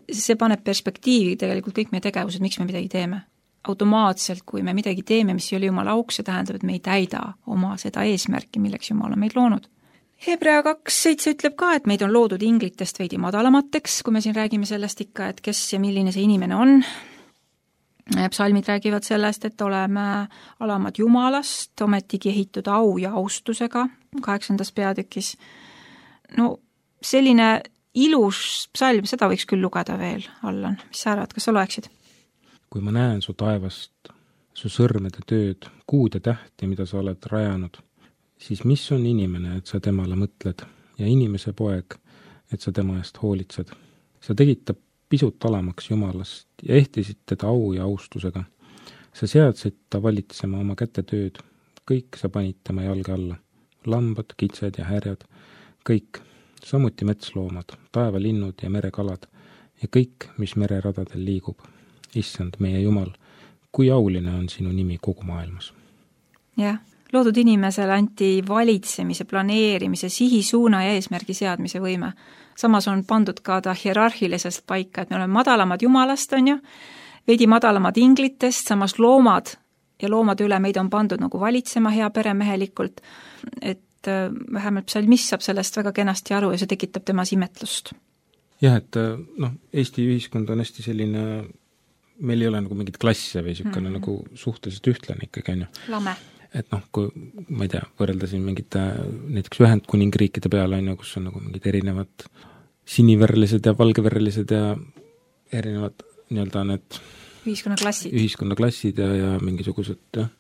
See paneb perspektiivi tegelikult kõik meie tegevused, miks me midagi teeme. Automaatselt, kui me midagi teeme, mis ei ole Jumala auks, see tähendab, et me ei täida oma seda eesmärki, milleks Jumal on meid loonud. Hebrea kaks seitse ütleb ka, et meid on loodud inglitest veidi madalamateks, kui me siin räägime sellest ikka, et kes ja milline see inimene on. Psalmid räägivad sellest, et oleme alamad Jumalast, ometigi ehitud au ja austusega kaheksandas peatükis. No selline ilus psalm, seda võiks küll lugeda veel, Allan. Mis sa arvad, kas sa loeksid? Kui ma näen su taevast, su sõrmede tööd, kuud ja tähti, mida sa oled rajanud, siis mis on inimene, et sa temale mõtled, ja inimese poeg, et sa tema eest hoolitsed. Sa tegid ta pisut alamaks Jumalast ja ehtisid teda au ja austusega. Sa seadsid ta valitsema oma käte tööd, kõik sa panid tema jalge alla, lambad, kitsed ja härjad, kõik, samuti metsloomad, taevalinnud ja merekalad ja kõik, mis mereradadel liigub. Issand, meie Jumal, kui auline on sinu nimi kogu maailmas. Jah, loodud inimesele anti valitsemise, planeerimise, sihisuuna ja eesmärgi seadmise võime. Samas on pandud ka ta hierarhilisest paika, et me oleme madalamad Jumalast, on ju, veidi madalamad inglitest, samas loomad ja loomade üle meid on pandud nagu valitsema hea peremehelikult, et vähemalt psalmist saab sellest väga kenasti aru ja see tekitab temas imetlust. Jah, et noh, Eesti ühiskond on hästi selline, meil ei ole nagu mingid klasse või niisugune mm-hmm. nagu suhteliselt ühtlane ikkagi, on ju. Lame. Et noh, kui ma ei tea, võrreldasin mingite näiteks Ühendkuningriikide peale, on ju, kus on nagu mingid erinevad siniverrelised ja valgeverrelised ja erinevad nii-öelda need ühiskonnaklassid, ühiskonnaklassid ja, ja mingisugused jah,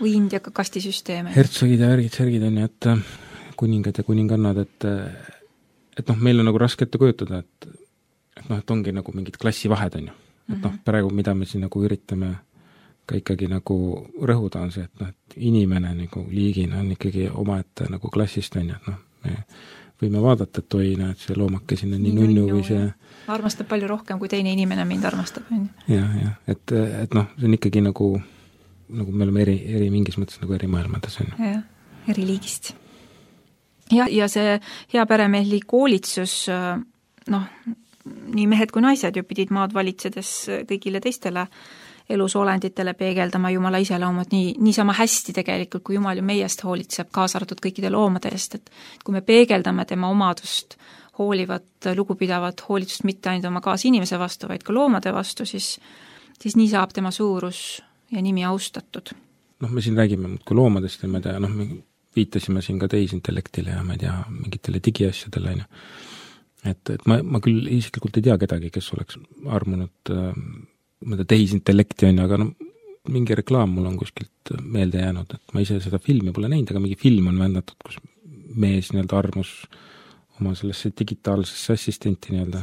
või India kastisüsteeme. Hertsogid ja värgid, särgid on ju, et kuningad ja kuningannad, et et noh, meil on nagu raske ette kujutada, et, et noh, et ongi nagu mingid klassivahed, on ju. Et noh, praegu mida me siin nagu üritame ka ikkagi nagu rõhuda on see, et noh, et inimene nagu liigina on ikkagi omaette nagu klassist, on ju, et noh, me võime vaadata, et oi, näed, see loomake sinna nii, nii nunnu või see armastab palju rohkem, kui teine inimene mind armastab, on ju. Jah, jah, et, et noh, see on ikkagi nagu nagu me oleme eri, eri mingis mõttes nagu eri maailmades, on ju. Jah, eri liigist. Ja, ja see hea peremehli koolitsus, noh, nii mehed kui naised ju pidid maad valitsedes kõigile teistele elusolenditele peegeldama Jumala iseloomud nii, nii sama hästi tegelikult, kui Jumal ju meiest hoolitseb, kaasa arvatud kõikide loomade eest, et kui me peegeldame tema omadust, hoolivat, lugupidavat hoolitsust mitte ainult oma kaasinimese vastu, vaid ka loomade vastu, siis, siis nii saab tema suurus ja nimi austatud. Noh, me siin räägime muudkui loomadest ja ma ei tea, noh, me viitasime siin ka tehisintellektile ja ma ei tea, mingitele digiasjadele, on ju. Et, et ma, ma küll isiklikult ei tea kedagi, kes oleks armunud äh, mõnda tehisintellekti, on ju, aga no, mingi reklaam mul on kuskilt meelde jäänud, et ma ise seda filmi pole näinud, aga mingi film on vändatud, kus mees nii-öelda armus oma sellesse digitaalsesse assistenti nii-öelda.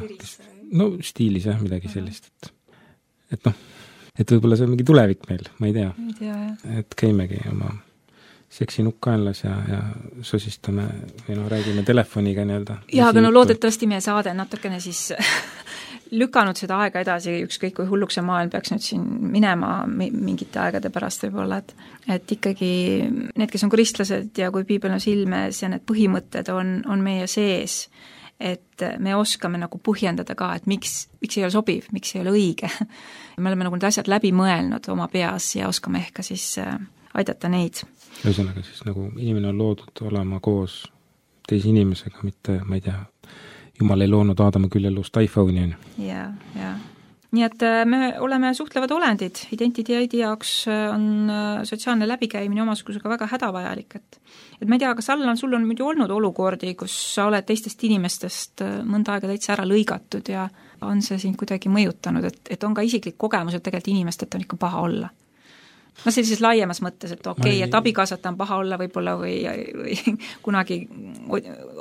No stiilis jah, midagi sellist, et, et noh, et võib-olla see on mingi tulevik meil, ma ei tea. ei tea, jah. Et käimegi oma seksinukk kaenlas ja, ja sosistame või no räägime telefoniga nii-öelda. Jaa, aga no loodetavasti meie saade natukene siis lükanud seda aega edasi, ükskõik kui hulluks see maailm peaks nüüd siin minema mingite aegade pärast võib-olla, et, et ikkagi need, kes on kristlased ja kui piibel on silmes ja need põhimõtted on, on meie sees, et me oskame nagu põhjendada ka, et miks, miks ei ole sobiv, miks ei ole õige. Me oleme nagu need asjad läbi mõelnud oma peas ja oskame ehk ka siis aidata neid. Ühesõnaga siis nagu inimene on loodud olema koos teise inimesega, mitte, ma ei tea, Jumal ei loonud Aadama küll elust iPhone'i on. Ja, ja. Nii et me oleme suhtlevad olendid, identiteedi jaoks on sotsiaalne läbikäimine omasugusega väga hädavajalik, et et ma ei tea, kas Allan, sul on muidu olnud olukordi, kus sa oled teistest inimestest mõnda aega täitsa ära lõigatud ja on see sind kuidagi mõjutanud, et, et on ka isiklik kogemus, et tegelikult inimestelt on ikka paha olla? No sellises laiemas mõttes, et okei okay, ei... et abikaasata on paha olla võib-olla või, või kunagi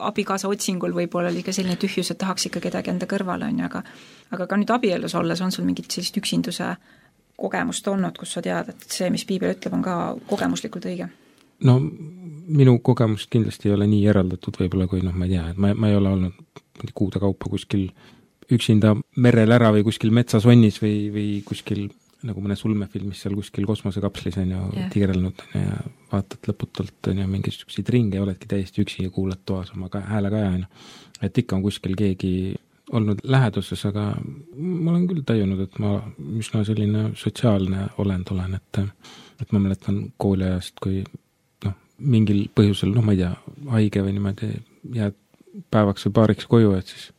abikaasa otsingul võib-olla oli ka selline tühjus, et tahaks ikka kedagi enda kõrvale, on ju, aga aga ka nüüd abielus olles on sul mingit sellist üksinduse kogemust olnud, kus sa tead, et see, mis piibel ütleb, on ka kogemuslikult õige? No minu kogemus kindlasti ei ole nii eraldatud võib-olla, kui noh, ma ei tea, et ma, ma ei ole olnud kuude kaupa kuskil üksinda merel ära või kuskil metsasonnis või, või kuskil nagu mõne sulmefilmis seal kuskil kosmosekapslis on ju yeah. tigerelnud ja vaatad lõputult on ju mingisuguseid ringe ja oledki täiesti üksi ja kuulad toas oma ka, hääle kaja on ju. Et ikka on kuskil keegi olnud läheduses, aga ma olen küll tajunud, et ma üsna selline sotsiaalne olend olen, et, et ma mäletan kooliajast, kui noh, mingil põhjusel, noh ma ei tea, haige või niimoodi jääd päevaks või paariks koju, et siis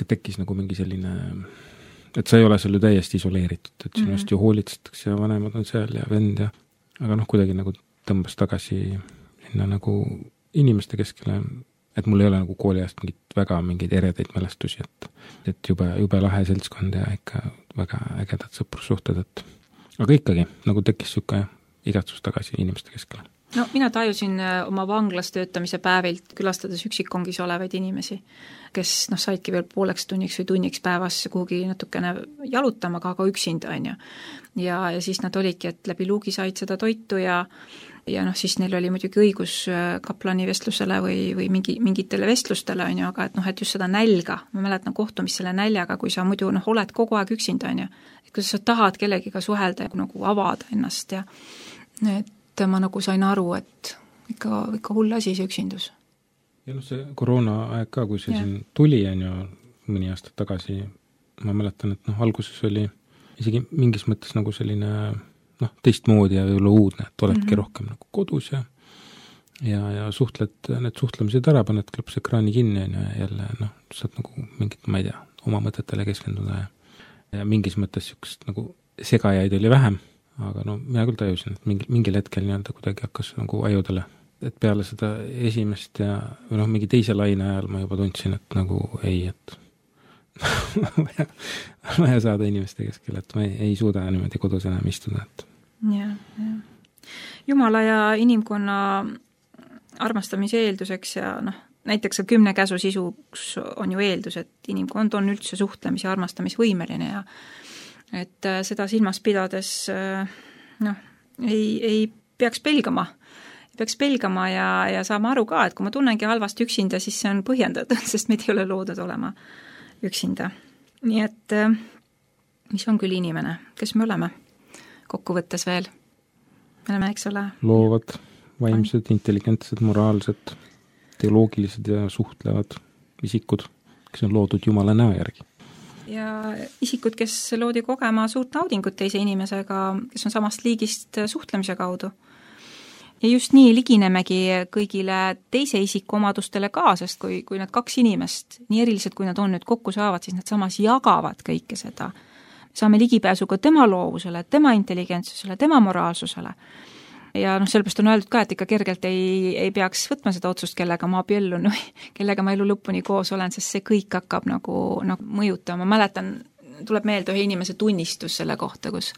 tekkis nagu mingi selline et sa ei ole seal ju täiesti isoleeritud, et sinust mm-hmm. ju hoolitsetakse ja vanemad on seal ja vend ja aga noh, kuidagi nagu tõmbas tagasi sinna nagu inimeste keskele, et mul ei ole nagu kooliajast mingit väga mingeid eredaid mälestusi, et, et jube, jube lahe seltskond ja ikka väga ägedad sõprussuhted, et aga ikkagi nagu tekkis siuke igatsus tagasi inimeste keskele. No mina tajusin oma vanglas töötamise päevilt, külastades üksikkongis olevaid inimesi, kes noh, saidki veel pooleks tunniks või tunniks päevas kuhugi natukene jalutama, aga ka üksinda on ju. Ja, ja siis nad olidki, et läbi luugi said seda toitu ja ja noh, siis neil oli muidugi õigus kaplani vestlusele või, või mingi, mingitele vestlustele on ju, aga et noh, et just seda nälga, ma mäletan kohtumist selle näljaga, kui sa muidu noh, oled kogu aeg üksinda on ju, et kuidas sa tahad kellegiga suhelda ja nagu avada ennast ja et ma nagu sain aru, et ikka, ikka hull asi see üksindus. Ja noh, see koroona aeg ka, kui see ja. siin tuli on ju mõni aasta tagasi, ma mäletan, et noh, alguses oli isegi mingis mõttes nagu selline noh, teistmoodi ja võib-olla uudne, et oledki mm-hmm. rohkem nagu kodus ja ja, ja suhtled, need suhtlemised ära, paned klõps ekraani kinni ja jälle noh, saad nagu mingit, ma ei tea, oma mõtetele keskenduda ja, ja mingis mõttes siukest nagu segajaid oli vähem, aga no mina küll tajusin, et mingi, mingil hetkel nii-öelda kuidagi hakkas nagu ajudele, et peale seda esimest ja või noh, mingi teise laine ajal ma juba tundsin, et nagu ei, et vaja, vaja saada inimeste keskel, et ma ei, ei suuda niimoodi kodus enam istuda. Et. Ja, ja. Jumala ja inimkonna armastamise eelduseks ja noh, näiteks ka kümne käsu sisuks on ju eeldus, et inimkond on üldse suhtlemis- ja armastamisvõimeline ja et seda silmas pidades noh, ei, ei peaks pelgama, peaks pelgama ja, ja saama aru ka, et kui ma tunnengi halvasti üksinda, siis see on põhjendatud, sest meid ei ole loodud olema üksinda. Nii et mis on küll inimene, kes me oleme kokkuvõttes veel? Me oleme, eks ole? Loovad, vaimsed, intelligentsed, moraalsed, teoloogilised ja suhtlevad isikud, kes on loodud Jumala näo järgi. Ja isikud, kes loodi kogema suurt naudingut teise inimesega, kes on samast liigist suhtlemise kaudu. Ja just nii liginemegi kõigile teise isiku omadustele ka, sest kui, kui need kaks inimest, nii erilised kui nad on nüüd kokku saavad, siis nad samas jagavad kõike seda. Me saame ligipääsu ka tema loovusele, tema intelligentsusele, tema moraalsusele. Ja noh, sellepärast on öeldud ka, et ikka kergelt ei, ei peaks võtma seda otsust, kellega ma abiellun või kellega ma elu lõpuni koos olen, sest see kõik hakkab nagu, nagu mõjutama. Ma mäletan, tuleb meelde ühe inimese tunnistus selle kohta, kus,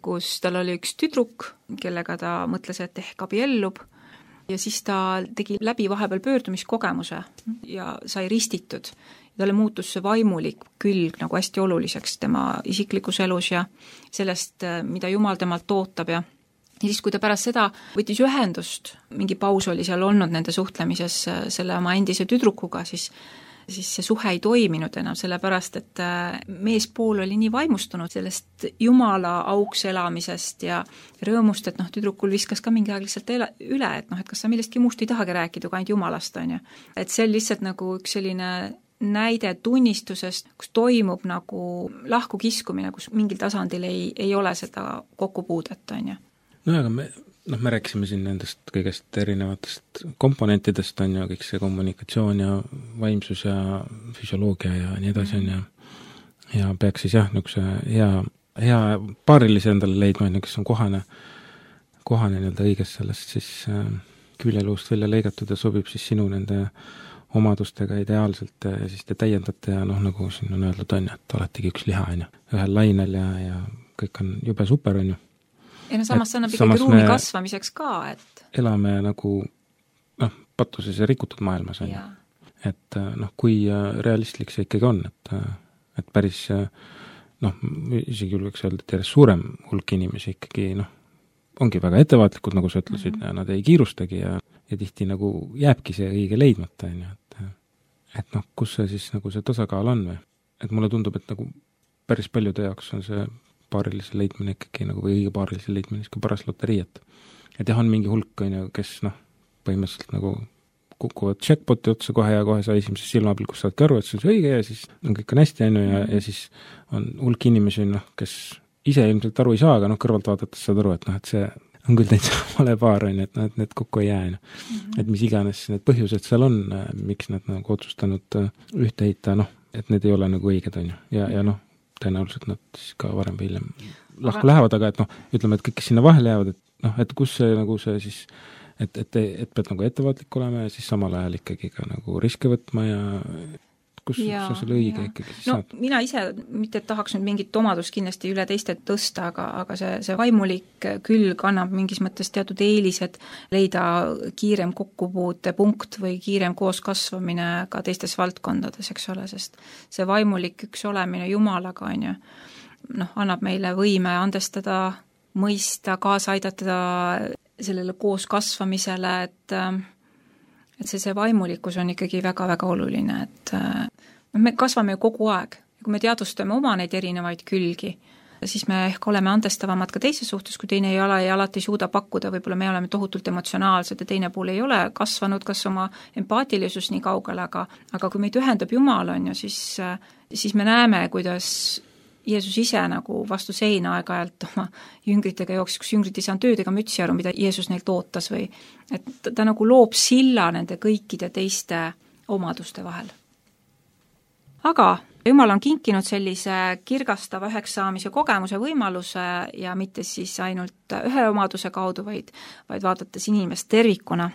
kus tal oli üks tüdruk, kellega ta mõtles, et ehk abiellub ja siis ta tegi läbi vahepeal pöördumiskogemuse ja sai ristitud. talle muutus see vaimulik külg nagu hästi oluliseks tema isiklikus elus ja sellest, mida Jumal temalt ootab ja ja siis, kui ta pärast seda võttis ühendust, mingi paus oli seal olnud nende suhtlemises selle oma endise tüdrukuga, siis siis see suhe ei toiminud enam, sellepärast et meespool oli nii vaimustunud sellest Jumala auks elamisest ja rõõmust, et noh, tüdrukul viskas ka mingi aeg lihtsalt üle, et noh, et kas sa millestki muust ei tahagi rääkida, kui ainult Jumalast, on ju. Et see on lihtsalt nagu üks selline näide tunnistusest, kus toimub nagu lahku kiskumine, kus mingil tasandil ei, ei ole seda kokkupuudet, on ju. No aga me noh, me rääkisime siin nendest kõigest erinevatest komponentidest, on ju, kõik see kommunikatsioon ja vaimsus ja füsioloogia ja nii edasi, on ju, ja peaks siis jah, niisuguse hea, hea paarilise endale leidma, on ju, kes on kohane, kohane nii-öelda õiges sellest siis äh, küljeluust välja lõigatud ja sobib siis sinu nende omadustega ideaalselt ja siis te täiendate ja noh, nagu siin on öeldud, on ju, et oletegi üks liha, on ju, ühel lainel ja, ja kõik on jube super, on ju. Ja no samas see annab ikkagi ruumi kasvamiseks ka, et elame nagu noh, patuses ja rikutud maailmas on ju. Et noh, kui realistlik see ikkagi on, et, et päris noh, isegi julgeks öelda, et järjest suurem hulk inimesi ikkagi noh, ongi väga ettevaatlikud, nagu sa ütlesid, mm -hmm. ja nad ei kiirustagi ja, ja tihti nagu jääbki see õige leidmata, on ju, et, et noh, kus see siis nagu see tasakaal on või? Et mulle tundub, et nagu päris paljude jaoks on see paarilise leidmine ikkagi nagu, või õige paarilise leidmine ikka paras loterii, et et jah, on mingi hulk, on ju, kes noh, põhimõtteliselt nagu kukuvad checkpoti otsa kohe ja kohe sa esimeses silmapilkus saadki aru, et see on see õige ja siis on kõik on hästi, on ju, ja, ja siis on hulk inimesi, noh, kes ise ilmselt aru ei saa, aga noh, kõrvalt vaadates saad aru, et noh, et see on küll täitsa vale paar, on ju, et noh, et need kokku ei jää, mm-hmm. et mis iganes need põhjused seal on, miks nad nagu otsustanud ühte heita, noh, et need ei ole nagu õiged, on ju, ja, ja noh, tõenäoliselt nad siis ka varem või hiljem lahku aga... lähevad, aga et noh, ütleme, et kõik, kes sinna vahele jäävad, et noh, et kus see nagu see siis, et, et, et pead nagu ettevaatlik olema ja siis samal ajal ikkagi ka nagu riske võtma ja kus ja, sa selle õige ja. Ikkagi siis no, saad? Mina ise, mitte et tahaks nüüd mingit omadust kindlasti üle teiste tõsta, aga, aga see, see vaimulik külg annab mingis mõttes teatud eelised leida kiirem kokkupuute punkt või kiirem koos kasvamine ka teistes valdkondades, eks ole, sest see vaimulik üks olemine Jumalaga, on ju, noh, annab meile võime andestada, mõista, kaasa aidata sellele koos kasvamisele, et et see, see vaimulikkus on ikkagi väga-väga oluline, et no, me kasvame ju kogu aeg. Kui me teadvustame oma neid erinevaid külgi, siis me ehk oleme andestavamad ka teise suhtes, kui teine ei ole ja alati suuda pakkuda, võib-olla me oleme tohutult emotsionaalsed ja teine pool ei ole kasvanud kas oma empaatilisus nii kaugele, aga, aga kui meid ühendab Jumal, on ju, siis, siis me näeme, kuidas Jeesus ise nagu vastu seina aeg-ajalt oma jüngritega jooksis, kus jüngrid ei saanud tööd ega mütsi aru, mida Jeesus neilt ootas või et ta, ta nagu loob silla nende kõikide teiste omaduste vahel. Aga Jumal on kinkinud sellise kirgastava üheks saamise kogemuse võimaluse ja mitte siis ainult ühe omaduse kaudu, vaid, vaid vaadates inimest tervikuna.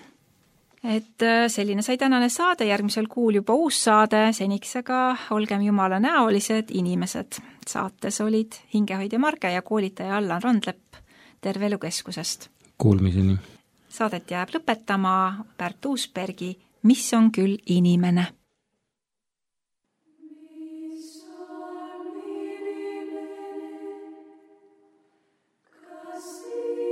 Et selline sai tänane saade, järgmisel kuul juba uus saade, seniks aga olgem Jumala näolised inimesed. Saates olid hingehoidja Marge ja koolitaja Allan Randlepp Terve Elu Keskusest. Kuulmiseni. Saadet jääb lõpetama Pärt Uusbergi Mis on küll inimene? Thank you.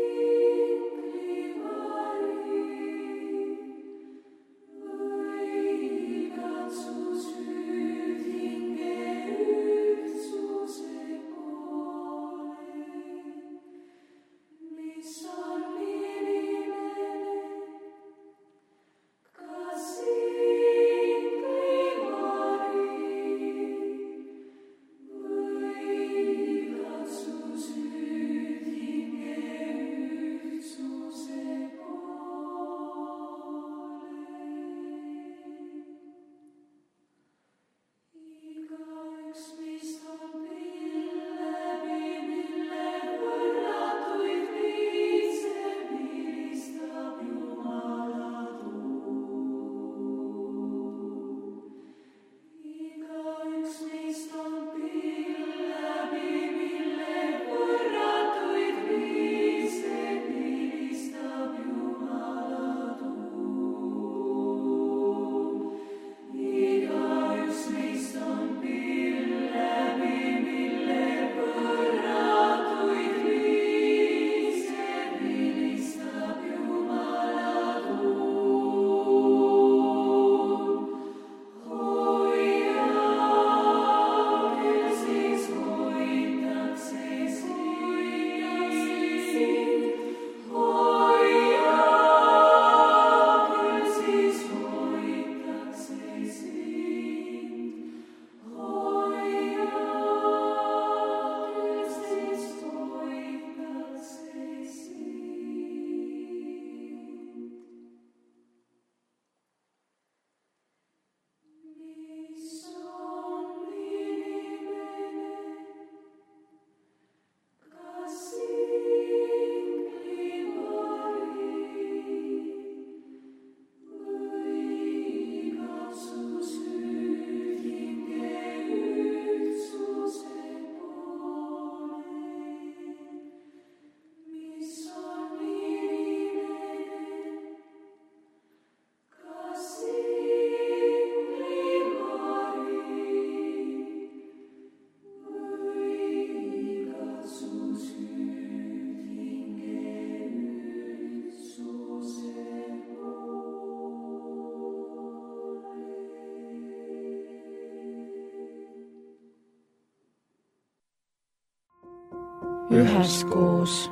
üheskoos.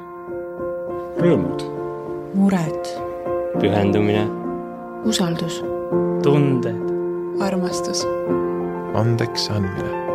Rõõmud. Mured. Pühendumine. Usaldus. Tunded. Armastus. Andeks andmine.